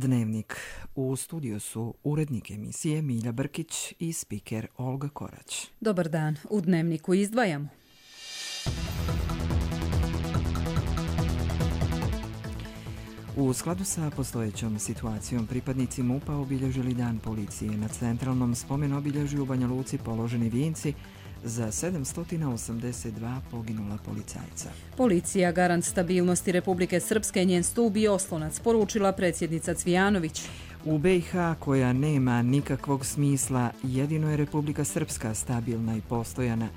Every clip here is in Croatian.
Dnevnik. U studiju su urednik emisije Milja Brkić i spiker Olga Korać. Dobar dan. U Dnevniku izdvajamo. U skladu sa postojećom situacijom pripadnici MUP-a obilježili Dan policije. Na centralnom spomen obilježju u Banja Luci položeni vijenci za 782 poginula policajca. Policija garant stabilnosti Republike Srpske, njen stup i oslonac, poručila predsjednica Cvijanović. U BiH, koja nema nikakvog smisla, jedino je Republika Srpska stabilna i postojana.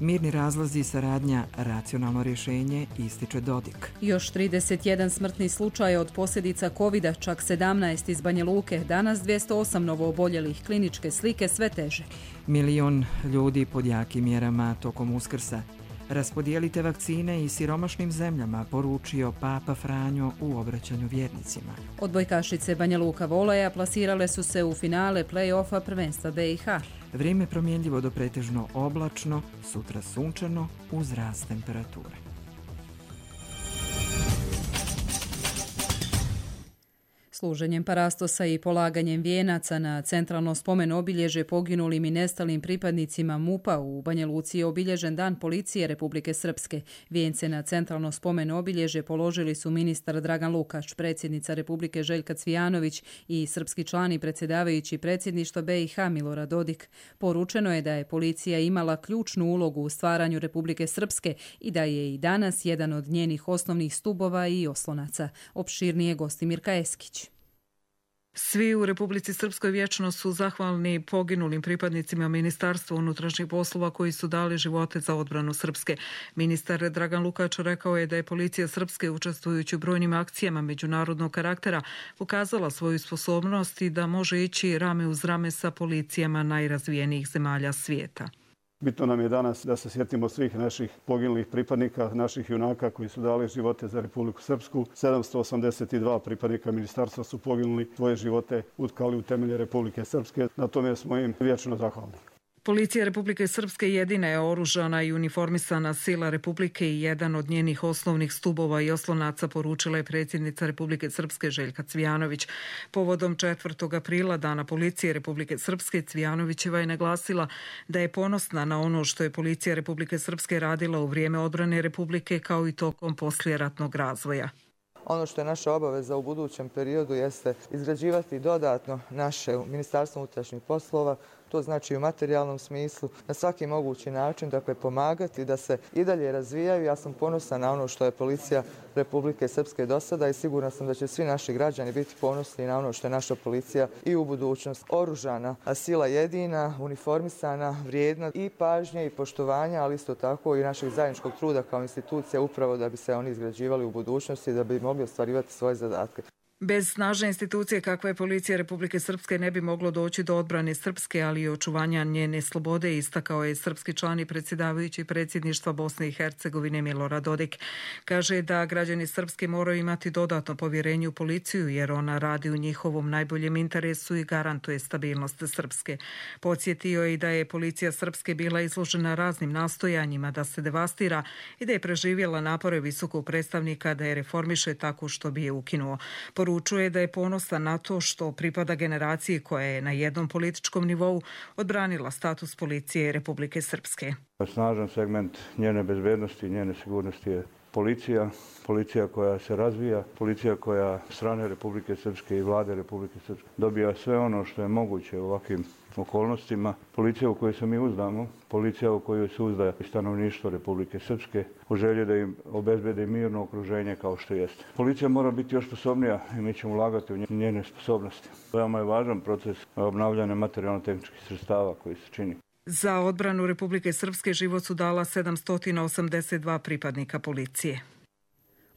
Mirni razlozi, saradnja, racionalno rješenje, ističe Dodik. Još 31 smrtni slučaj od posljedica covida, čak 17 iz Banja Luke, danas 208 novooboljelih, kliničke slike sve teže. 1 milion ljudi pod jakim mjerama tokom Uskrsa. Raspodijelite vakcine i siromašnim zemljama, poručio Papa Franjo u obraćanju vjernicima. Odbojkašice Banja Luka Voleja plasirale su se u finale play-offa prvenstva BiH. Vrijeme promjenljivo do pretežno oblačno, sutra sunčano uz rast temperature. Služenjem parastosa i polaganjem vijenaca na centralno spomen obilježje poginulim i nestalim pripadnicima MUP-a u Banja Luci je obilježen Dan policije Republike Srpske. Vijence na centralno spomen obilježje položili su ministar Dragan Lukač, predsjednica Republike Željka Cvijanović i srpski član i predsjedavajući predsjedništva BiH Milorad Dodik. Poručeno je da je policija imala ključnu ulogu u stvaranju Republike Srpske i da je i danas jedan od njenih osnovnih stubova i oslonaca. Opširnije Gostimirka Eskić. Svi u Republici Srpskoj vječno su zahvalni poginulim pripadnicima Ministarstva unutrašnjih poslova koji su dali živote za odbranu Srpske. Ministar Dragan Lukač rekao je da je policija Srpske, učestvujući u brojnim akcijama međunarodnog karaktera, pokazala svoju sposobnost i da može ići rame uz rame sa policijama najrazvijenijih zemalja svijeta. Bitno nam je danas da se sjetimo svih naših poginulih pripadnika, naših junaka koji su dali živote za Republiku Srpsku. 782 pripadnika ministarstva su poginuli, svoje živote utkali u temelje Republike Srpske. Na tome smo im vječno zahvalni. Policija Republike Srpske jedina je oružana i uniformisana sila Republike i jedan od njenih osnovnih stubova i oslonaca, poručila je predsjednica Republike Srpske Željka Cvijanović. Povodom 4. aprila, Dana policije Republike Srpske, Cvijanovićeva je naglasila da je ponosna na ono što je policija Republike Srpske radila u vrijeme odbrane Republike kao i tokom poslijeratnog razvoja. Ono što je naša obaveza u budućem periodu jeste izgrađivati dodatno naše Ministarstvo unutrašnjih poslova, to znači u materijalnom smislu, na svaki mogući način, dakle pomagati da se i dalje razvijaju. Ja sam ponosna na ono što je policija Republike Srpske do sada i sigurna sam da će svi naši građani biti ponosni na ono što je naša policija i u budućnosti. Oružana, a sila jedina, uniformisana, vrijedna i pažnje i poštovanja, ali isto tako i našeg zajedničkog truda kao institucija upravo da bi se oni izgrađivali u budućnosti i da bi mogli ostvarivati svoje zadatke. Bez snažne institucije kakva je policija Republike Srpske ne bi moglo doći do odbrane Srpske, ali i očuvanja njene slobode, istakao je srpski član i predsjedavajući predsjedništva Bosne i Hercegovine Milorad Dodik. Kaže da građani Srpske moraju imati dodatno povjerenje u policiju jer ona radi u njihovom najboljem interesu i garantuje stabilnost Srpske. Podsjetio je i da je policija Srpske bila izložena raznim nastojanjima da se devastira i da je preživjela napore visokog predstavnika da je reformiše tako što bi je ukinuo. Poručuje da je ponosna na to što pripada generaciji koja je na jednom političkom nivou odbranila status policije Republike Srpske. Snažan segment njene bezbednosti i njene sigurnosti je policija koja se razvija, policija koja strane Republike Srpske i vlade Republike Srpske dobija sve ono što je moguće u ovakvim okolnostima. Policija u kojoj se mi uzdamo, policija u kojoj se uzda stanovništvo Republike Srpske, u želji da im obezbede mirno okruženje kao što jeste. Policija mora biti još sposobnija i mi ćemo ulagati u njene sposobnosti. Veoma je važan proces obnavljanja materijalno-tehničkih sredstava koji se čini. Za odbranu Republike Srpske život su dala 782 pripadnika policije.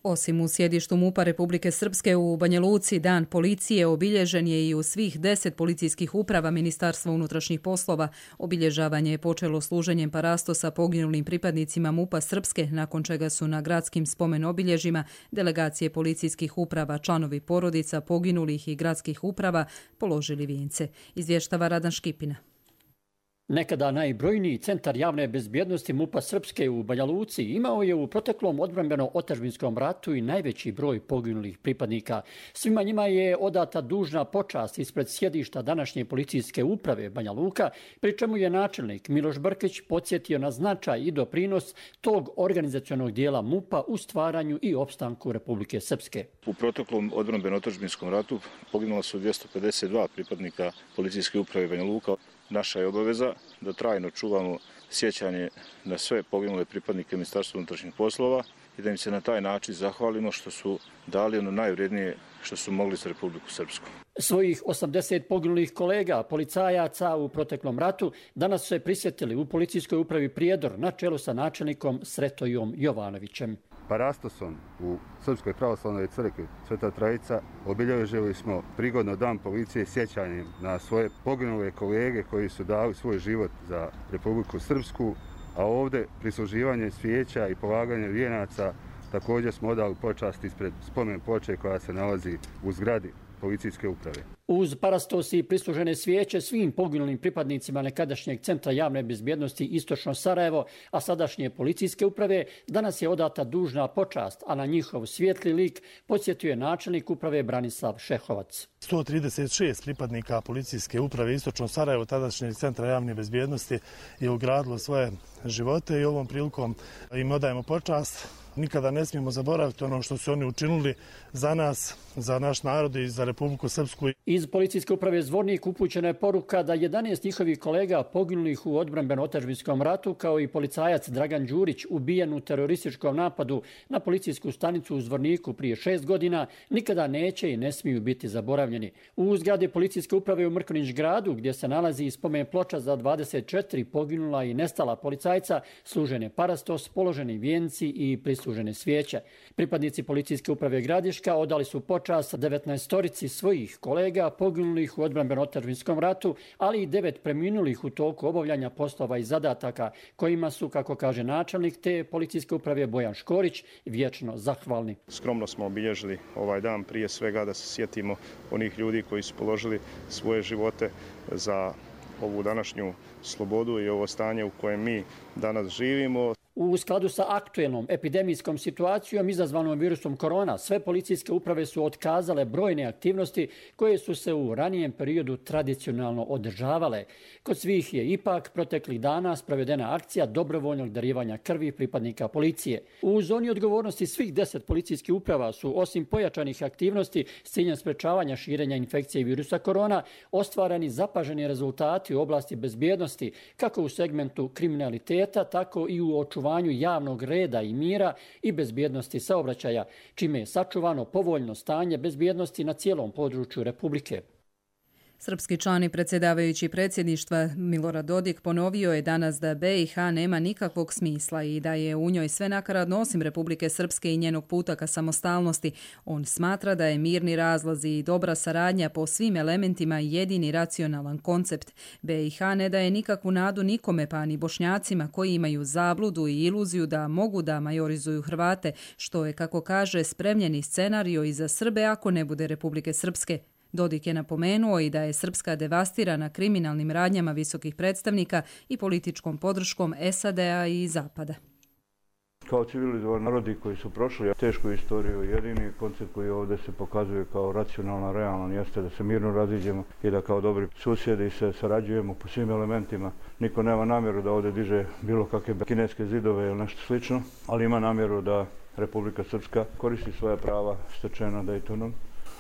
Osim u sjedištu MUP-a Republike Srpske u Banja Luci, Dan policije obilježen je i u svih 10 policijskih uprava Ministarstva unutrašnjih poslova. Obilježavanje je počelo služenjem parastosa poginulim pripadnicima MUP-a Srpske, nakon čega su na gradskim spomen obilježjima delegacije policijskih uprava, članovi porodica poginulih i gradskih uprava položili vijence. Izvještava Radan Škipina. Nekada najbrojniji centar javne bezbjednosti MUP-a Srpske u Banja Luci imao je u proteklom odbrambeno-otadžbinskom ratu i najveći broj poginulih pripadnika. Svima njima je odata dužna počast ispred sjedišta današnje policijske uprave Banja Luka, pri čemu je načelnik Miloš Brkić podsjetio na značaj i doprinos tog organizacionog dijela MUP-a u stvaranju i opstanku Republike Srpske. U proteklom odbrambeno-otadžbinskom ratu poginula su 252 pripadnika policijske uprave Banja Luka. Naša je obaveza da trajno čuvamo sjećanje na sve poginule pripadnike Ministarstva unutrašnjih poslova i da im se na taj način zahvalimo što su dali ono najvrijednije što su mogli za Republiku Srpsku. Svojih 80 poginulih kolega, policajaca u proteklom ratu, danas su se prisjetili u policijskoj upravi Prijedor na čelu sa načelnikom Sretojom Jovanovićem. Parastosom u Srpskoj pravoslavnoj crkvi Sveta Trojica obilježili smo prigodno Dan policije sjećanjem na svoje poginule kolege koji su dali svoj život za Republiku Srpsku, a ovdje prisluživanje svijeća i polaganje vijenaca također smo odali počast ispred spomen ploče koja se nalazi u zgradi policijske uprave. Uz parastos i prislužene svijeće svim poginulim pripadnicima nekadašnjeg centra javne bezbjednosti Istočno Sarajevo, a sadašnje policijske uprave, danas je odata dužna počast, a na njihov svijetli lik podsjetio je načelnik uprave Branislav Šehovac. 136 pripadnika policijske uprave Istočno Sarajevo, tadašnjeg centra javne bezbjednosti, je ugradilo svoje živote i ovom prilikom im odajemo počast. Nikada ne smijemo zaboraviti ono što su oni učinili za nas, za naš narod i za Republiku Srpsku. Iz policijske uprave Zvornik upućena je poruka da 11 njihovih kolega poginulih u odbrambeno-otadžbinskom ratu, kao i policajac Dragan Đurić, ubijen u terorističkom napadu na policijsku stanicu u Zvorniku prije 6 godina, nikada neće i ne smiju biti zaboravljeni. U zgradi policijske uprave u Mrkonjić gradu, gdje se nalazi spomen ploča za 24 poginula i nestala policajca, služen je parastos, položeni vijenci i prislužene svijeće. Pripadnici policijske uprave Gradiška odali su počast 19 svojih kolega poginulih u odbrambeno-otadžbinskom ratu, ali i 9 preminulih u toku obavljanja poslova i zadataka, kojima su, kako kaže načelnik te policijske uprave Bojan Škorić, vječno zahvalni. Skromno smo obilježili ovaj dan, prije svega da se sjetimo onih ljudi koji su položili svoje živote za ovu današnju slobodu i ovo stanje u kojem mi danas živimo. U skladu sa aktuelnom epidemijskom situacijom izazvanom virusom korona, sve policijske uprave su otkazale brojne aktivnosti koje su se u ranijem periodu tradicionalno održavale. Kod svih je ipak proteklih dana sprovedena akcija dobrovoljnog darivanja krvi pripadnika policije. U zoni odgovornosti svih 10 policijskih uprava su, osim pojačanih aktivnosti s ciljem sprečavanja širenja infekcije virusa korona, ostvareni zapaženi rezultati u oblasti bezbjednosti, kako u segmentu kriminaliteta, tako i u očuvanju javnog reda i mira i bezbjednosti saobraćaja, čime je sačuvano povoljno stanje bezbjednosti na cijelom području Republike. Srpski član i predsjedavajući predsjedništva Milorad Dodik ponovio je danas da BiH nema nikakvog smisla i da je u njoj sve nakaradno osim Republike Srpske i njenog puta ka samostalnosti. On smatra da je mirni razlazi i dobra saradnja po svim elementima jedini racionalan koncept. BiH ne daje nikakvu nadu nikome, pa ni Bošnjacima koji imaju zabludu i iluziju da mogu da majorizuju Hrvate, što je, kako kaže, spremljeni scenario i za Srbe ako ne bude Republike Srpske. Dodik je napomenuo i da je Srpska devastirana kriminalnim radnjama visokih predstavnika i političkom podrškom SAD-a i Zapada. Kao civilizovani narodi koji su prošli tešku istoriju, jedini koncept koji ovdje se pokazuje kao racionalno, realan, jeste da se mirno raziđemo i da kao dobri susjedi se sarađujemo po svim elementima. Niko nema namjeru da ovdje diže bilo kakve kineske zidove ili nešto slično, ali ima namjeru da Republika Srpska koristi svoja prava stečena Daytonom,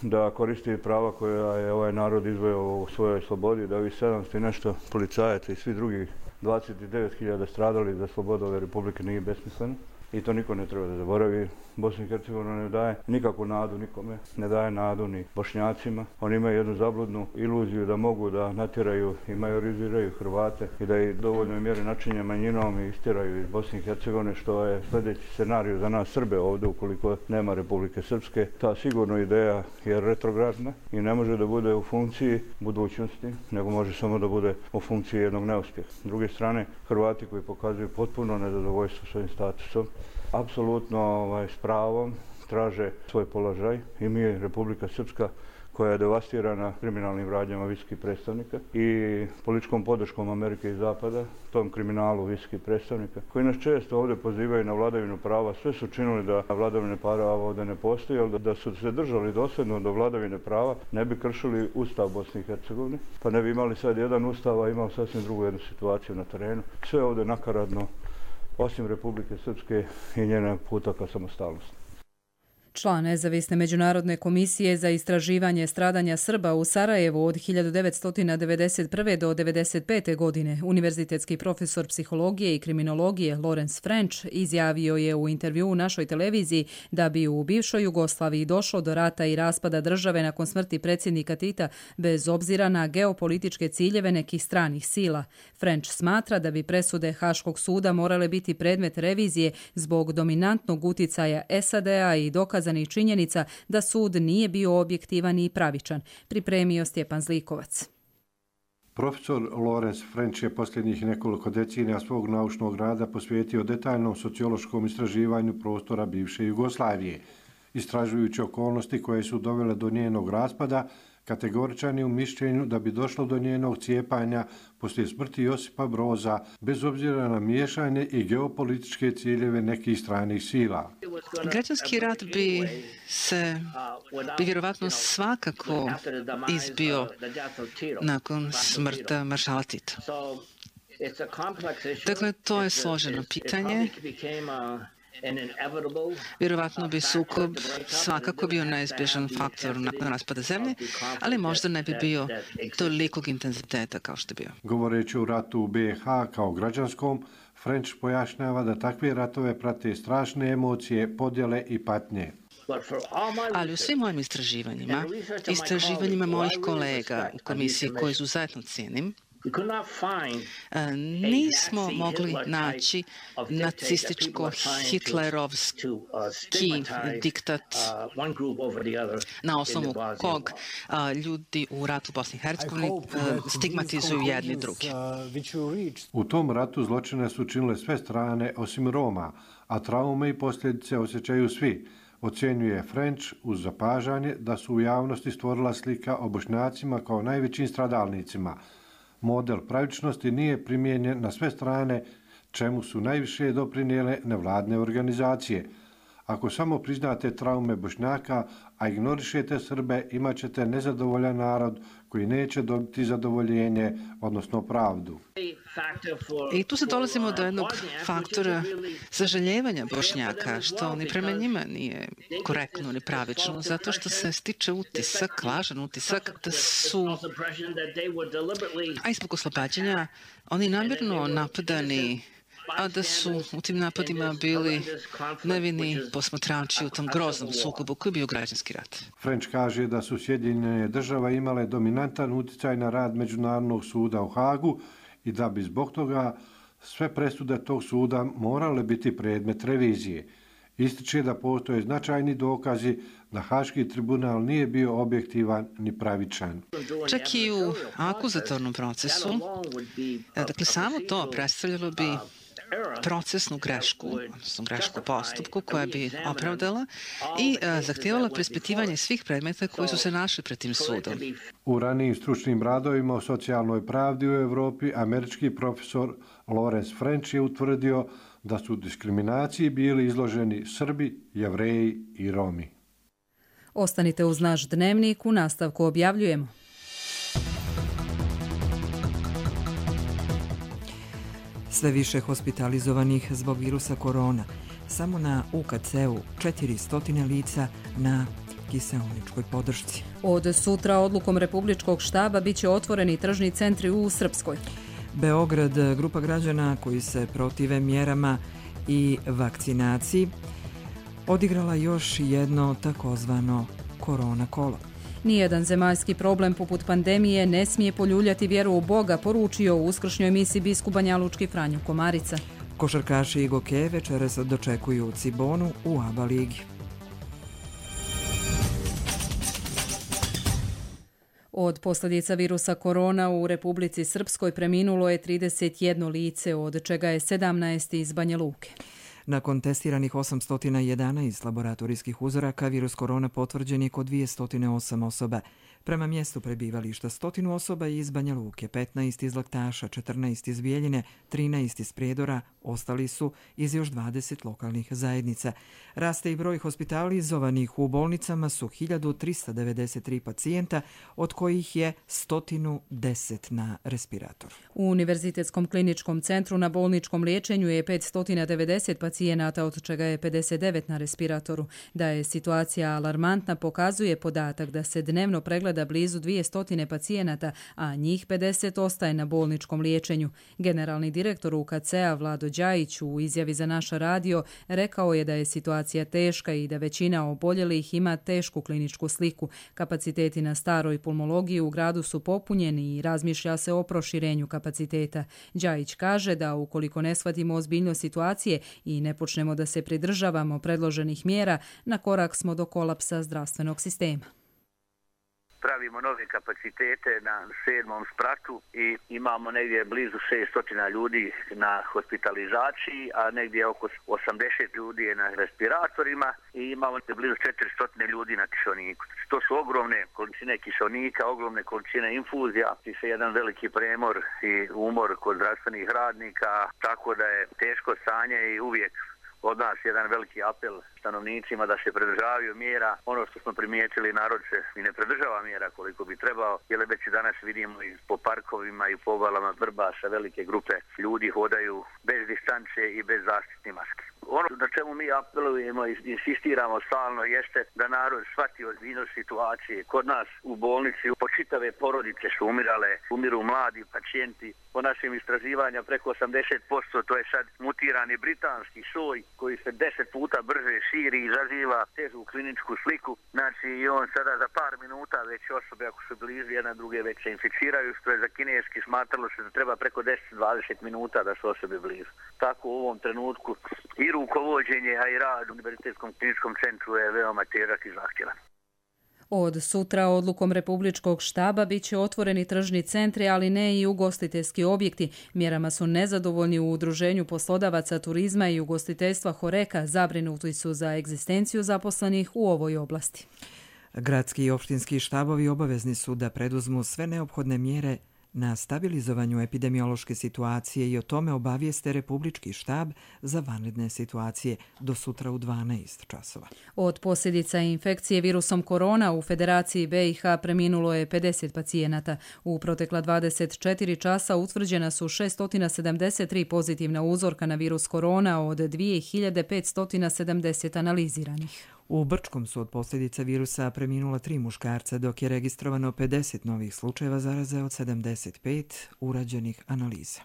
da koristi prava koja je ovaj narod izvojao u svojoj slobodi, da ovih 700 i nešto policajaca i svi drugih 29.000 stradali za slobodu ove republike nije besmisleno. I to niko ne treba da zaboravi. Bosna i Hercegovina ne daje nikakvu nadu nikome, ne daje nadu ni Bošnjacima. Oni imaju jednu zabludnu iluziju da mogu da natjeraju i majoriziraju Hrvate i da ih dovoljno mjere načinje manjinom i istiraju iz Bosne i Hercegovine, što je sljedeći scenarij za nas Srbe ovdje ukoliko nema Republike Srpske. Ta sigurno ideja je retrogradna i ne može da bude u funkciji budućnosti, nego može samo da bude u funkciji jednog neuspjeha. S druge strane, Hrvati koji pokazuju potpuno nezadovoljstvo svojim statusom, apsolutno s pravom traže svoj položaj i mi, Republika Srpska, koja je devastirana kriminalnim radnjama visokih predstavnika i političkom podrškom Amerike i Zapada, tom kriminalu visokih predstavnika, koji nas često ovdje pozivaju na vladavinu prava. Sve su činili da vladavine prava ovdje ne postoji, ali da su se držali dosljedno do vladavine prava, ne bi kršili Ustav Bosne i Hercegovine, pa ne bi imali sad jedan ustav, a imao sasvim drugu jednu situaciju na terenu. Sve ovdje nakaradno, osim Republike Srpske i njena puta ka samostalnosti. Član nezavisne međunarodne komisije za istraživanje stradanja Srba u Sarajevu od 1991. do 1995. godine, univerzitetski profesor psihologije i kriminologije Lawrence French izjavio je u intervjuu u našoj televiziji da bi u bivšoj Jugoslaviji došlo do rata i raspada države nakon smrti predsjednika Tita bez obzira na geopolitičke ciljeve nekih stranih sila. French smatra da bi presude Haškog suda morale biti predmet revizije zbog dominantnog uticaja SAD-a i dokazanih činjenica da sud nije bio objektivan i pravičan, pripremio Stjepan Zlikovac. Profesor Lawrence French je posljednjih nekoliko decenija svog naučnog rada posvetio detaljnom sociološkom istraživanju prostora bivše Jugoslavije. Istražujući okolnosti koje su dovele do njenog raspada, kategoričan je u mišljenju da bi došlo do njenog cijepanja poslije smrti Josipa Broza, bez obzira na miješanje i geopolitičke ciljeve nekih stranih sila. Građanski rat bi vjerovatno svakako izbio nakon smrti maršala Tita. Dakle, to je složeno pitanje. Vjerovatno bi sukob svakako bio neizbježan faktor nakon raspada zemlje, ali možda ne bi bio tolikog intenziteta kao što je bio. Govoreći o ratu u BiH kao građanskom, French pojašnjava da takve ratove prate strašne emocije, podjele i patnje. Ali u svim mojim istraživanjima mojih kolega u komisiji koje izuzetno cijenim, nismo mogli naći nacističko-hitlerovski diktat na osnovu kog ljudi u ratu u Bosni i Hercegovini stigmatizuju jedni drugi. U tom ratu zločine su činile sve strane osim Roma, a traume i posljedice osjećaju svi, ocjenjuje French uz zapažanje da su u javnosti stvorila slika o Bošnjacima kao najvećim stradalnicima. Model pravičnosti nije primijenjen na sve strane, čemu su najviše doprinijele nevladne organizacije. Ako samo priznate traume Bošnjaka, a ignorišete Srbe, imat ćete nezadovoljan narod koji neće dobiti zadovoljenje, odnosno pravdu. I tu se dolazimo do jednog faktora sažaljevanja Bošnjaka, što ni prema njima nije korektno ni pravično, zato što se stiče utisak, lažan utisak, da su, a i zbog oslobađanja, oni namjerno napadani, a da su u tim napadima bili nevini posmatrači u tom groznom sukobu koji je bio građanski rat. French kaže da su Sjedinjene države imale dominantan uticaj na rad Međunarodnog suda u Hagu i da bi zbog toga sve presude tog suda morale biti predmet revizije. Ističe da postoje značajni dokazi da Haški tribunal nije bio objektivan ni pravičan. Čak i u akuzatornom procesu, dakle samo to predstavljalo bi procesnu grešku, odnosno grešku postupku koja bi opravdala i zahtijevala preispitivanje svih predmeta koji su se našli pred tim sudom. U ranijim stručnim radovima o socijalnoj pravdi u Evropi američki profesor Lawrence French je utvrdio da su diskriminaciji bili izloženi Srbi, Jevreji i Romi. Ostanite uz naš dnevnik, u nastavku objavljujemo. Sve više hospitalizovanih zbog virusa korona. Samo na UKC-u 400 lica na kiseoničkoj podršci. Od sutra odlukom Republičkog štaba biće otvoreni tržni centri u Srpskoj. Beograd, grupa građana koji se protive mjerama i vakcinaciji, odigrala još jedno takozvano korona kolo. Nijedan zemaljski problem poput pandemije ne smije poljuljati vjeru u Boga, poručio u uskršnjoj emisiji biskup banjalučki Franjo Komarica. Košarkaši i Gokeje večeras dočekuju Cibonu u ABA ligi. Od posljedica virusa korona u Republici Srpskoj preminulo je 31 lice, od čega je 17 iz Banja Luke. Nakon testiranih 811 laboratorijskih uzoraka, virus korona potvrđen je kod 208 osoba. Prema mjestu prebivališta 100 osoba iz Banja Luke, 15 iz Laktaša, 14 iz Bijeljine, 13 iz Prijedora, ostali su iz još 20 lokalnih zajednica. Raste i broj hospitalizovanih u bolnicama su 1393 pacijenta, od kojih je 110 na respiratoru. U Univerzitetskom kliničkom centru na bolničkom liječenju je 590 pacijenata, od čega je 59 na respiratoru. Da je situacija alarmantna pokazuje podatak da se dnevno pregleda blizu 200 pacijenata, a njih 50 ostaje na bolničkom liječenju. Generalni direktor UKC-a Vlado Đajić u izjavi za naš radio rekao je da je situacija teška i da većina oboljelih ima tešku kliničku sliku. Kapaciteti na staroj pulmologiji u gradu su popunjeni i razmišlja se o proširenju kapaciteta. Đajić kaže da ukoliko ne shvatimo ozbiljnost situacije i ne počnemo da se pridržavamo predloženih mjera, na korak smo do kolapsa zdravstvenog sistema. Pravimo nove kapacitete na 7. spratu i imamo negdje blizu 600 ljudi na hospitalizaciji, a negdje oko 80 ljudi je na respiratorima i imamo blizu 400 ljudi na kiseoniku. To su ogromne količine kiseonika, ogromne količine infuzija, i se jedan veliki premor i umor kod zdravstvenih radnika, tako da je teško stanje i uvijek od nas jedan veliki apel stanovnicima da se pridržavaju mjera. Ono što smo primijetili, narod se i ne pridržava mjera koliko bi trebao, jer već danas vidimo i po parkovima i po obalama Vrbasa velike grupe ljudi hodaju bez distance i bez zaštitnih maski. Ono na čemu mi apelujemo i insistiramo stalno jeste da narod shvati ozbiljnost situacije. Kod nas u bolnici po čitave porodice su umirale, umiru mladi pacijenti. Po našim istraživanja preko 80%, to je sad mutirani britanski soj koji se 10 puta brže širi i izaziva težu kliničku sliku. Znači i on sada za par minuta već osobe ako su blizu jedna druge već se inficiraju, što je za kineski smatralo se da treba preko 10-20 minuta da su osobe blizu. Tako u ovom trenutku i rukovođenje, a i rad u Univerzitetskom kliničkom centru je veoma težak i zahtjevan. Od sutra odlukom Republičkog štaba bit će otvoreni tržni centri, ali ne i ugostiteljski objekti. Mjerama su nezadovoljni u Udruženju poslodavaca turizma i ugostiteljstva Horeka, zabrinuti su za egzistenciju zaposlenih u ovoj oblasti. Gradski i opštinski štabovi obavezni su da preduzmu sve neophodne mjere na stabilizovanju epidemiološke situacije i o tome obavijeste Republički štab za vanredne situacije do sutra u 12 časova. Od posljedica infekcije virusom korona u Federaciji BiH preminulo je 50 pacijenata. U protekla 24 časa utvrđena su 673 pozitivna uzorka na virus korona od 2570 analiziranih. U Brčkom su od posljedica virusa preminula 3 muškarca, dok je registrovano 50 novih slučajeva zaraze od 75 urađenih analiza.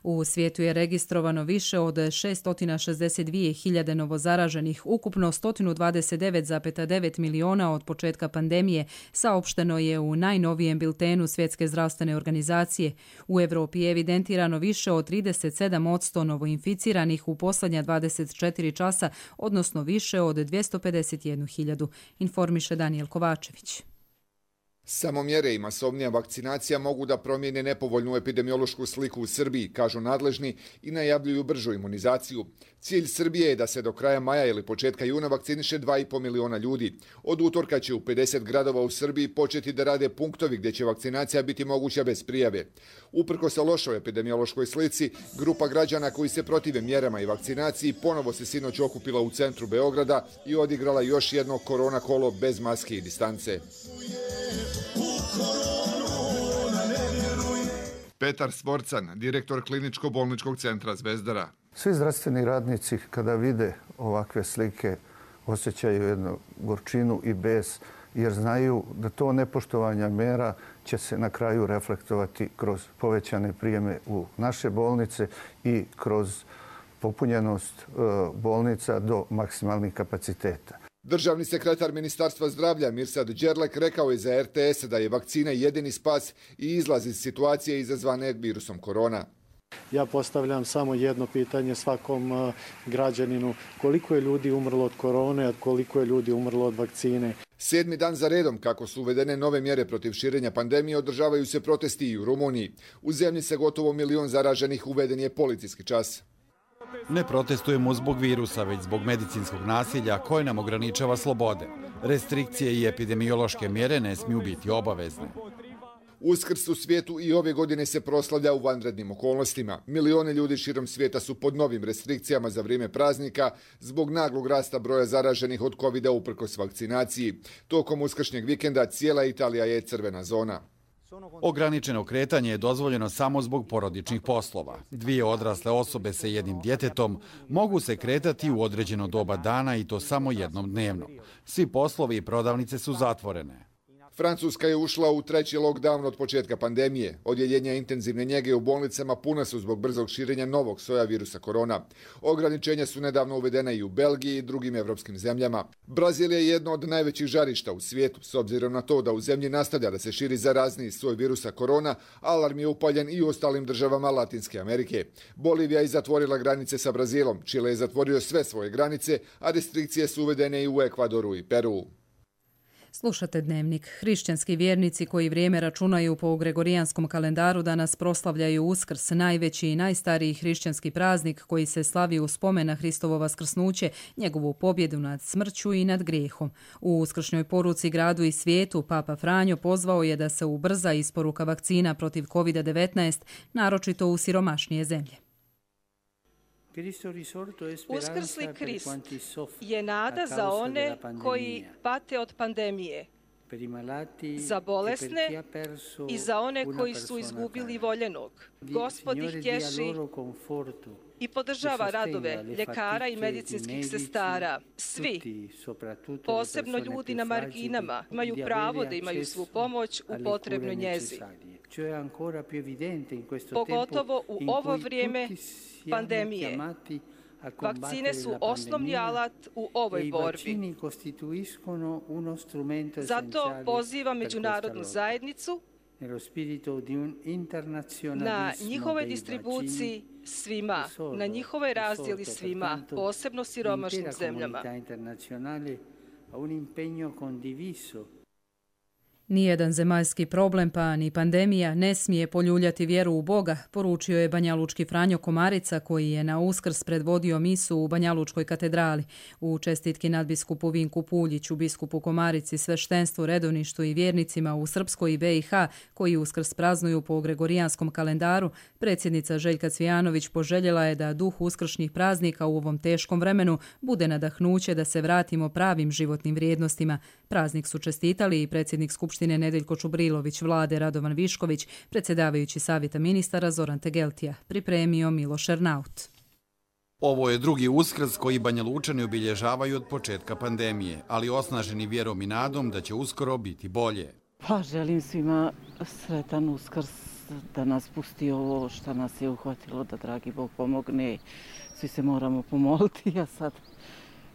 U svijetu je registrovano više od 662.000 novozaraženih, ukupno 129,9 miliona od početka pandemije, saopšteno je u najnovijem biltenu Svjetske zdravstvene organizacije. U Evropi je evidentirano više od 37% novoinficiranih u posljednja 24 časa, odnosno više od 251.000, informiše Daniel Kovačević. Samo mjere i masovnija vakcinacija mogu da promijene nepovoljnu epidemiološku sliku u Srbiji, kažu nadležni i najavljuju bržu imunizaciju. Cilj Srbije je da se do kraja maja ili početka juna vakciniše 2,5 miliona ljudi. Od utorka će u 50 gradova u Srbiji početi da rade punktovi gdje će vakcinacija biti moguća bez prijave. Uprkos lošoj epidemiološkoj slici, grupa građana koji se protive mjerama i vakcinaciji ponovo se sinoć okupila u centru Beograda i odigrala još jedno korona kolo bez maske i distance. Petar Svorcan, direktor kliničko-bolničkog centra Zvezdara. Svi zdravstveni radnici kada vide ovakve slike osjećaju jednu gorčinu i bes, jer znaju da to nepoštovanja mjera će se na kraju reflektovati kroz povećane prijeme u naše bolnice i kroz popunjenost bolnica do maksimalnih kapaciteta. Državni sekretar Ministarstva zdravlja Mirsad Đerlek rekao je za RTS da je vakcina jedini spas i izlaz iz situacije izazvane virusom korona. Ja postavljam samo jedno pitanje svakom građaninu. Koliko je ljudi umrlo od korone, a koliko je ljudi umrlo od vakcine? 7. dan za redom, kako su uvedene nove mjere protiv širenja pandemije, održavaju se protesti i u Rumuniji. U zemlji sa gotovo 1 milion zaraženih uveden je policijski čas. Ne protestujemo zbog virusa, već zbog medicinskog nasilja koje nam ograničava slobode. Restrikcije i epidemiološke mjere ne smiju biti obavezne. Uskrs u svijetu i ove godine se proslavlja u vanrednim okolnostima. Milione ljudi širom svijeta su pod novim restrikcijama za vrijeme praznika zbog naglog rasta broja zaraženih od covida uprkos vakcinaciji. Tokom uskršnjeg vikenda cijela Italija je crvena zona. Ograničeno kretanje je dozvoljeno samo zbog porodičnih poslova. 2 odrasle osobe sa jednim djetetom mogu se kretati u određeno doba dana i to samo jednom dnevno. Svi poslovi i prodavnice su zatvorene. Francuska je ušla u 3. lockdown od početka pandemije. Odjeljenja intenzivne njege u bolnicama puna su zbog brzog širenja novog soja virusa korona. Ograničenja su nedavno uvedena i u Belgiji i drugim evropskim zemljama. Brazil je jedno od najvećih žarišta u svijetu. S obzirom na to da u zemlji nastavlja da se širi zarazniji soj virusa korona, alarm je upaljen i u ostalim državama Latinske Amerike. Bolivija je zatvorila granice sa Brazilom, Čile je zatvorio sve svoje granice, a restrikcije su uvedene i u Ekvadoru i Peru. Slušate Dnevnik. Hrišćanski vjernici koji vrijeme računaju po gregorijanskom kalendaru danas proslavljaju Uskrs, najveći i najstariji hrišćanski praznik koji se slavi u spomen na Hristovo vaskrsnuće, njegovu pobjedu nad smrću i nad grijehom. U uskršnjoj poruci gradu i svijetu Papa Franjo pozvao je da se ubrza isporuka vakcina protiv COVID-19, naročito u siromašnije zemlje. Uskrsli Krist je nada za one koji pate od pandemije, za bolesne i za one koji su izgubili voljenog. Gospod ih tješi i podržava radove ljekara i medicinskih sestara. Svi, posebno ljudi na marginama, imaju pravo da imaju svu pomoć u potrebnoj njezi. Pogotovo u ovo vrijeme pandemije. Vakcine su osnovni alat u ovoj borbi. Zato pozivam međunarodnu zajednicu na njihovoj distribuciji svima, na njihovoj razdjeli svima, posebno siromašnim zemljama. Nijedan zemaljski problem pa ni pandemija ne smije poljuljati vjeru u Boga, poručio je banjalučki Franjo Komarica koji je na Uskrs predvodio misu u Banjalučkoj katedrali. U čestitki nadbiskupu Vinku Puljiću, biskupu Komarici, sveštenstvu, redovništvu i vjernicima u Srpskoj i BiH koji Uskrs praznuju po gregorijanskom kalendaru, predsjednica Željka Cvijanović poželjela je da duh uskršnjih praznika u ovom teškom vremenu bude nadahnuće da se vratimo pravim životnim vrijednostima. Praznik su čestitali i predsjednik Skupštine Nedeljko Čubrilović, vlade Radovan Višković, predsjedavajući savjeta ministara Zoran Tegeltija, pripremio Miloš Ernaut. Ovo je drugi Uskrs koji Banjalučani obilježavaju od početka pandemije, ali osnaženi vjerom i nadom da će uskoro biti bolje. Pa želim svima sretan Uskrs, da nas pusti ovo što nas je uhvatilo, da dragi Bog pomogne. Svi se moramo pomoliti, a sad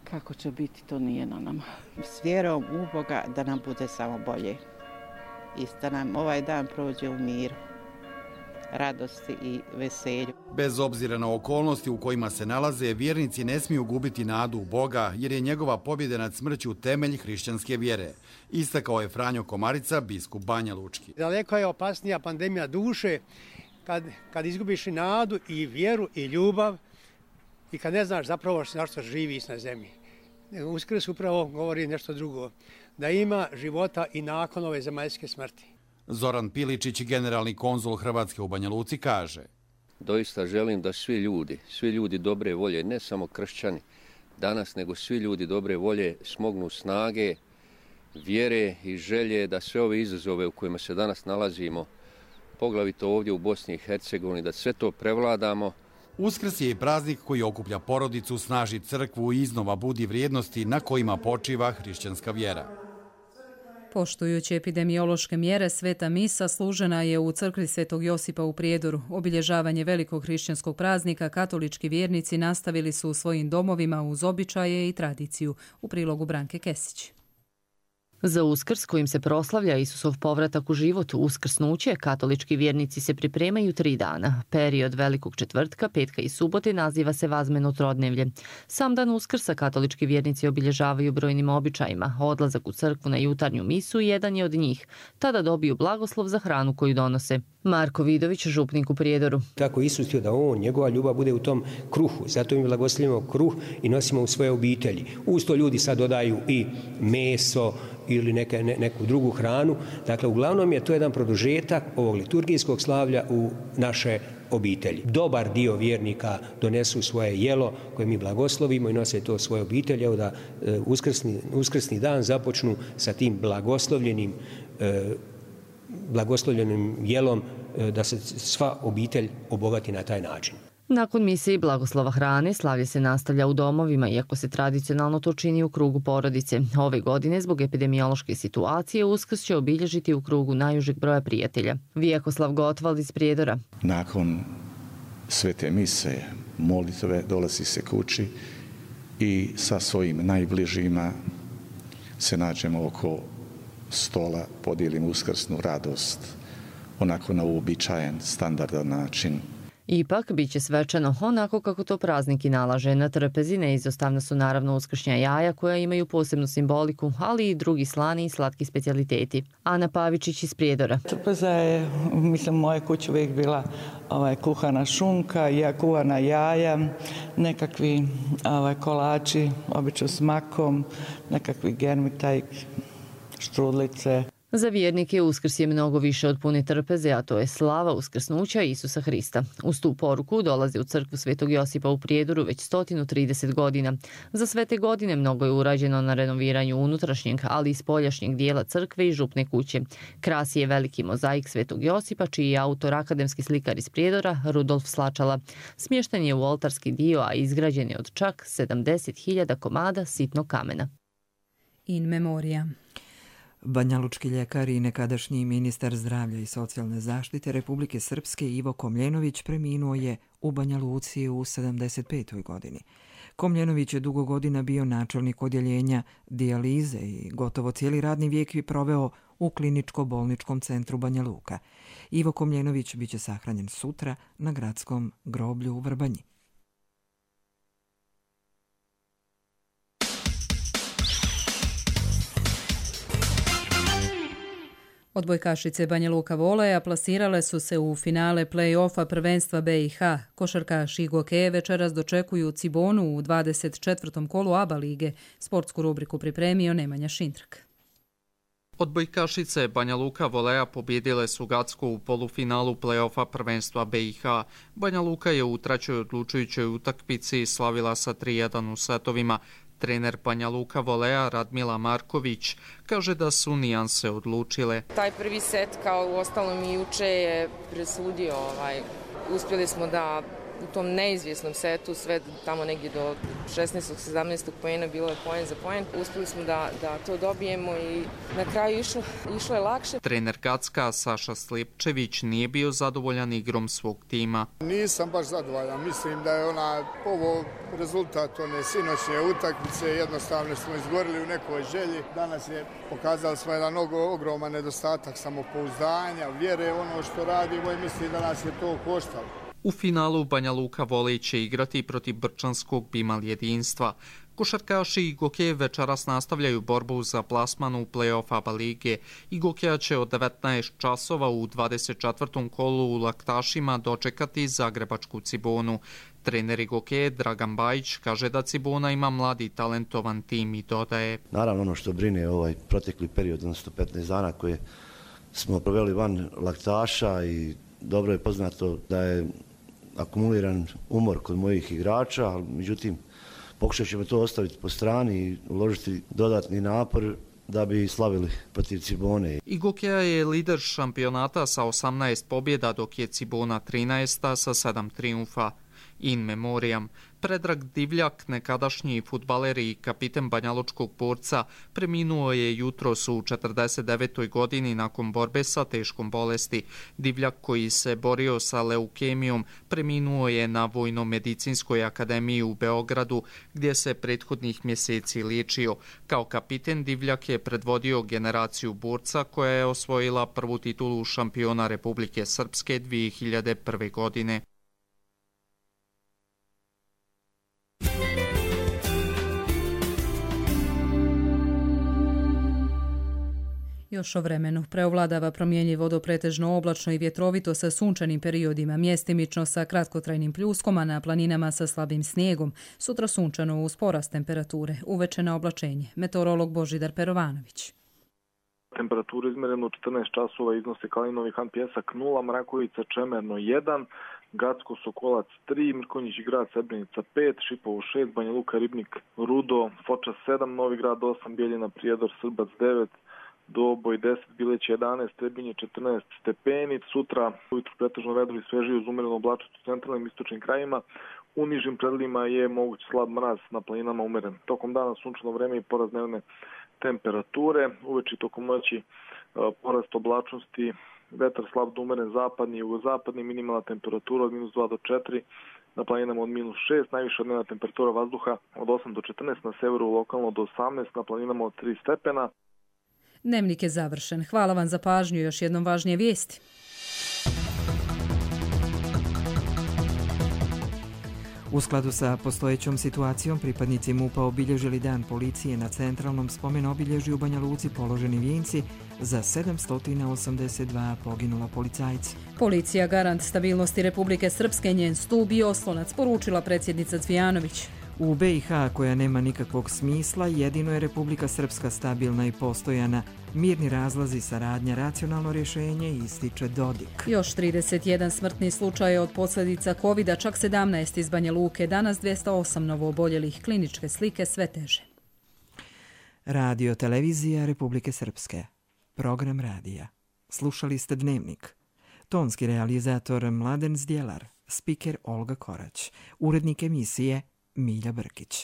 kako će biti, to nije na nama. S vjerom u Boga da nam bude samo bolje i da nam ovaj dan prođe u miru, radosti i veselju. Bez obzira na okolnosti u kojima se nalaze, vjernici ne smiju gubiti nadu u Boga, jer je njegova pobjeda nad smrću temelj hrišćanske vjere. Istakao je Franjo Komarica, biskup Banjalučki. Daleko je opasnija pandemija duše kad izgubiš i nadu i vjeru i ljubav i kad ne znaš zapravo na što živiš na zemlji. Uskrs upravo govori nešto drugo, da ima života i nakon ove zemaljske smrti. Zoran Piličić, generalni konzul Hrvatske u Banja Luci, kaže: Doista želim da svi ljudi dobre volje, ne samo kršćani danas, nego svi ljudi dobre volje smognu snage, vjere i želje da sve ove izazove u kojima se danas nalazimo, poglavito ovdje u Bosni i Hercegovini, da sve to prevladamo. Uskrs je i praznik koji okuplja porodicu, snaži crkvu i iznova budi vrijednosti na kojima počiva hrišćanska vjera. Poštujući epidemiološke mjere, sveta misa služena je u crkvi Svetog Josipa u Prijedoru. Obilježavanje velikog hrišćanskog praznika katolički vjernici nastavili su u svojim domovima uz običaje i tradiciju. U prilogu Branke Kesić. Za Uskrs, kojim se proslavlja Isusov povratak u život, uskrsnuće, katolički vjernici se pripremaju 3 dana. Period Velikog četvrtka, petka i subote naziva se Vazmeno trodnevlje. Sam dan Uskrsa katolički vjernici obilježavaju brojnim običajima. Odlazak u crkvu na jutarnju misu jedan je od njih. Tada dobiju blagoslov za hranu koju donose. Marko Vidović, župnik u Prijedoru. Tako Isus htio da njegova ljubav bude u tom kruhu. Zato mi blagoslovimo kruh i nosimo u svoje obitelji. Uz to ljudi sad dodaju i meso ili neku drugu hranu. Dakle, uglavnom je to jedan produžetak ovog liturgijskog slavlja u naše obitelji. Dobar dio vjernika donesu svoje jelo koje mi blagoslovimo i nose to svoje obitelji. Evo da uskrsni dan započnu sa tim blagoslovljenim jelom, da se sva obitelj obogati na taj način. Nakon mise i blagoslova hrane, slavlje se nastavlja u domovima, iako se tradicionalno to čini u krugu porodice. Ove godine, zbog epidemiološke situacije, Uskrs će obilježiti u krugu najužeg broja prijatelja. Vijekoslav Gotvald iz Prijedora. Nakon svete mise, molitve, dolazi se kući i sa svojim najbližima se nađemo oko stola, podijelimo uskrsnu radost, onako na uobičajen, standardan način. Ipak, bit će svečano onako kako to praznik i nalaže. Na trpezi neizostavna su naravno uskršnja jaja koja imaju posebnu simboliku, ali i drugi slani i slatki specijaliteti. Ana Pavičić iz Prijedora. Trpeza je, mislim, u moje kući uvijek bila kuhana šunka, kuvana jaja, nekakvi kolači, obično s makom, nekakvi germitajk, štrudlice. Za vjernike Uskrs je mnogo više od pune trpeze, a to je slava uskrsnuća Isusa Hrista. Uz tu poruku dolaze u crkvu Svetog Josipa u Prijedoru već 130 godina. Za sve te godine mnogo je urađeno na renoviranju unutrašnjeg, ali i spoljašnjeg dijela crkve i župne kuće. Krasi je veliki mozaik Svetog Josipa, čiji je autor akademski slikar iz Prijedora Rudolf Slačala. Smješten je u oltarski dio, a izgrađen je od čak 70.000 komada sitnog kamena. In memoria. Banjalučki ljekar i nekadašnji ministar zdravlja i socijalne zaštite Republike Srpske Ivo Komljenović preminuo je u Banja Luci u 75. godini. Komljenović je dugo godina bio načelnik odjeljenja dijalize i gotovo cijeli radni vijek je proveo u kliničko-bolničkom centru Banja Luka. Ivo Komljenović biće sahranjen sutra na gradskom groblju u Vrbanji. Odbojkašice Banja Luka Voleja plasirale su se u finale play-offa prvenstva BiH. Košarkaši Gokeje večeras dočekuju Cibonu u 24. kolu ABA lige. Sportsku rubriku pripremio Nemanja Šintrak. Odbojkašice Banja Luka Voleja pobjedile su Gacku u polufinalu play-offa prvenstva BiH. Banja Luka je u trećoj odlučujućoj utakmici slavila sa 3-1 u setovima. Trener Banja Luka Voleja Radmila Marković kaže da su nijanse odlučile. Taj prvi set, kao u ostalom i juče, je presudio. Uspjeli smo da u tom neizvjesnom setu, sve tamo negdje do 16. 17. poena, bilo je poen za poen. Uspjeli smo da to dobijemo i na kraju išlo je lakše. Trener Gacka Saša Slijepčević nije bio zadovoljan igrom svog tima. Nisam baš zadovoljan. Mislim da je ovo rezultat one sinoćne utakmice. Jednostavno smo izgorili u nekoj želji. Danas je pokazali smo jedan ogroman nedostatak samopouzdanja, vjere ono što radimo i mislim da nas je to koštalo. U finalu Banja Luka Volej će igrati protiv brčanskog Bimal jedinstva. Košarkaši i Gokeje večeras nastavljaju borbu za plasman u play-off ABA lige. I Gokeja će od 19 časova u 24. kolu u Laktašima dočekati zagrebačku Cibonu. Trener Gokeje Dragan Bajić kaže da Cibona ima mladi talentovan tim i dodaje. Naravno ono što brine ovaj protekli period, odnosno 15 dana koje smo proveli van Laktaša i dobro je poznato da je akumuliran umor kod mojih igrača, ali međutim pokušat ćemo to ostaviti po strani i uložiti dodatni napor da bi slavili protiv Cibone. I Gokeja je lider šampionata sa 18 pobjeda, dok je Cibona 13. sa 7 trijumfa. In memoriam, Predrag Divljak, nekadašnji fudbaler i kapiten banjalučkog Borca, preminuo je jutros u 49. godini nakon borbe sa teškom bolesti. Divljak, koji se borio sa leukemijom, preminuo je na Vojno-medicinskoj akademiji u Beogradu, gdje se prethodnih mjeseci liječio. Kao kapiten Divljak je predvodio generaciju Borca koja je osvojila prvu titulu šampiona Republike Srpske 2001. godine. Još o vremenu. Preovladava promjenjivo do pretežno oblačno i vjetrovito sa sunčanim periodima, mjestimično sa kratkotrajnim pljuskom, a na planinama sa slabim snijegom. Sutra sunčano uz porast temperature, uveče na oblačenje. Meteorolog Božidar Perovanović. Temperaturu izmerenu 14 časova iznose Kalinovi Han Pjesak 0, Mrakovica Čemerno 1, Gacko Sokolac 3, Mrkonjić Grad Srebrenica 5, Šipovo 6, Banja Luka Ribnik Rudo, Foča 7, Novi Grad 8, Bijeljina Prijedor Srbac 9, Doboj 10, Bileć 11, Trebinje 14 stepeni. Sutra ujutru pretežno vedro i svežije uz umerenu oblačnost u centralnim istočnim krajima. U nižim predjelima je moguć slab mraz, na planinama umeren. Tokom dana sunčano vreme i porast dnevne temperature. Uveče tokom noći porast oblačnosti, vetar slab do umeren zapadni i jugozapadni, minimalna temperatura od -2 do 4, na planinama od -6, najviša dnevna temperatura vazduha od 8 do 14, na severu lokalno do 18, na planinama od 3 stepena. Dnevnik je završen. Hvala vam za pažnju. Još jednom važnije vijesti. U skladu sa postojećom situacijom, pripadnici MUP-a obilježili dan policije na centralnom spomen obilježju u Banja Luci položeni vijenci za 782 poginula policajca. Policija garant stabilnosti Republike Srpske, njen stup i oslonac, poručila predsjednica Cvijanović. U BiH, koja nema nikakvog smisla, jedino je Republika Srpska stabilna i postojana. Mirni razlazi, saradnja, racionalno rješenje, ističe Dodik. Još 31 smrtni slučaj od posljedica COVID-a, čak 17 iz Banja Luke, danas 208 novooboljelih, kliničke slike sve teže. Radio televizija Republike Srpske. Program radija. Slušali ste Dnevnik. Tonski realizator Mladen Zdjelar, spiker Olga Korać, urednik emisije Milja Brkić.